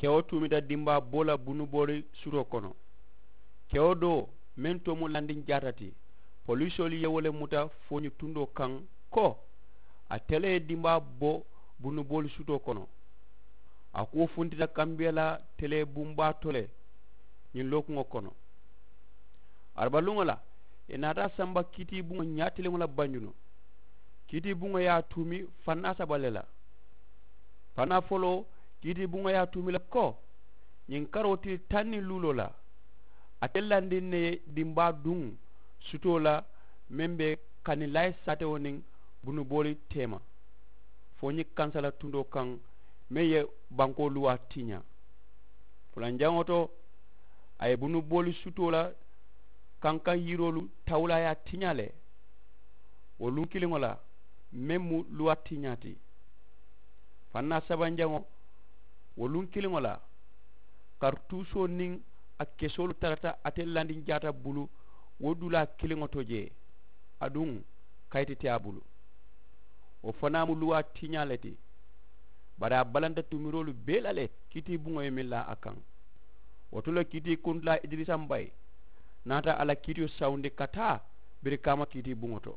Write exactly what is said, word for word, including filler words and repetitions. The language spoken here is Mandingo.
Kewo tuumita dimbaa boo la bunuboori sutoo kono. Kewo doo meŋ too mu landinjaata ti, polisoolu ye wo le muta fooñi tundoo kaŋ ko ate le ye dimbaa bo bunuboolu sutoo kono. A kuwo funtita kambiya la tele bumbaa to le ñiŋ lookuŋo kono. Arabaluŋo la ì naata a samba kiitiibuŋo ñaatiliŋo la banjunu. Kiitiibuŋo ye a tuumi fannaa saba le la. Fannaa foloo kiitiibuŋo ye a tuumi le ko ñiŋ karoo tili taŋ niŋ luuloo la ate landiŋ ne ye dimbaa duŋ sutoo la meŋ be kanilayi saatewo niŋ bunubooli teema fo ñiŋ kansala tundoo kaŋ meŋ ye bankoo luwaa tiñaa. Fulanjaŋo to a ye bunubooli sutoo la kankaŋ yiroolu tawulaayaa tiñaa le. Wo luŋ kiliŋo la meŋ mu luwaa tiñaa ti. Fannaa sabanjaŋo wo luŋ kiliŋo la kartuusoo niŋ a kesoolu tarata ate landinjaata bulu wo dulaa kiliŋo to jee. Aduŋ kayiti te a bulu. Wo fanaa mu luwaa tiñaa le ti. Bari a balanta tumiroolu bee la le kiitiibuŋo ye meŋ laa a kaŋ. Wo to le kiitii kuntulaa idirisa mbayi naata a la kiitiyo sawundi ka taa birikaama kiitiibuŋo to.